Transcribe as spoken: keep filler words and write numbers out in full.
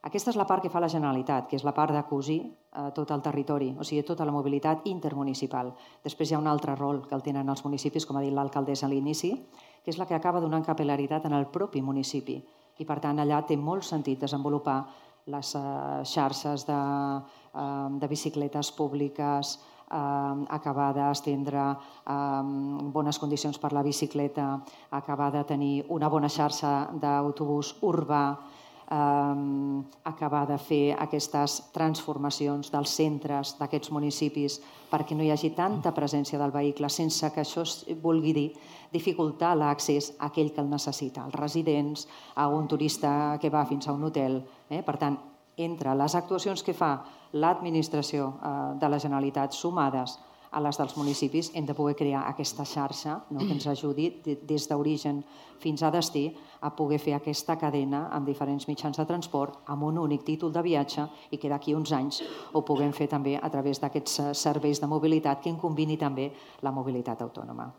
Aquesta és la part que fa la Generalitat, que és la part de cosir tot el territori, o sigui, tota la mobilitat intermunicipal. Després hi ha un altre rol que el tenen els municipis, com ha dit l'alcaldessa a l'inici, que és la que acaba donant capil·laritat en el propi municipi. I, per tant, allà té molt sentit desenvolupar les xarxes de, de bicicletes públiques, acabar d'estendre bones condicions per la bicicleta, acabar de tenir una bona xarxa d'autobús urbà, acabar de fer aquestes transformacions dels centres d'aquests municipis perquè no hi hagi tanta presència del vehicle sense que això vulgui dir dificultar l'accés a aquell que el necessita, als residents, a un turista que va fins a un hotel. Per tant, entre les actuacions que fa l'administració de la Generalitat sumades a les dels municipis, hem de poder crear aquesta xarxa que ens ajudi des d'origen fins a destí a poder fer aquesta cadena amb diferents mitjans de transport amb un únic títol de viatge i que d'aquí uns anys ho puguem fer també a través d'aquests serveis de mobilitat que en combini també la mobilitat autònoma.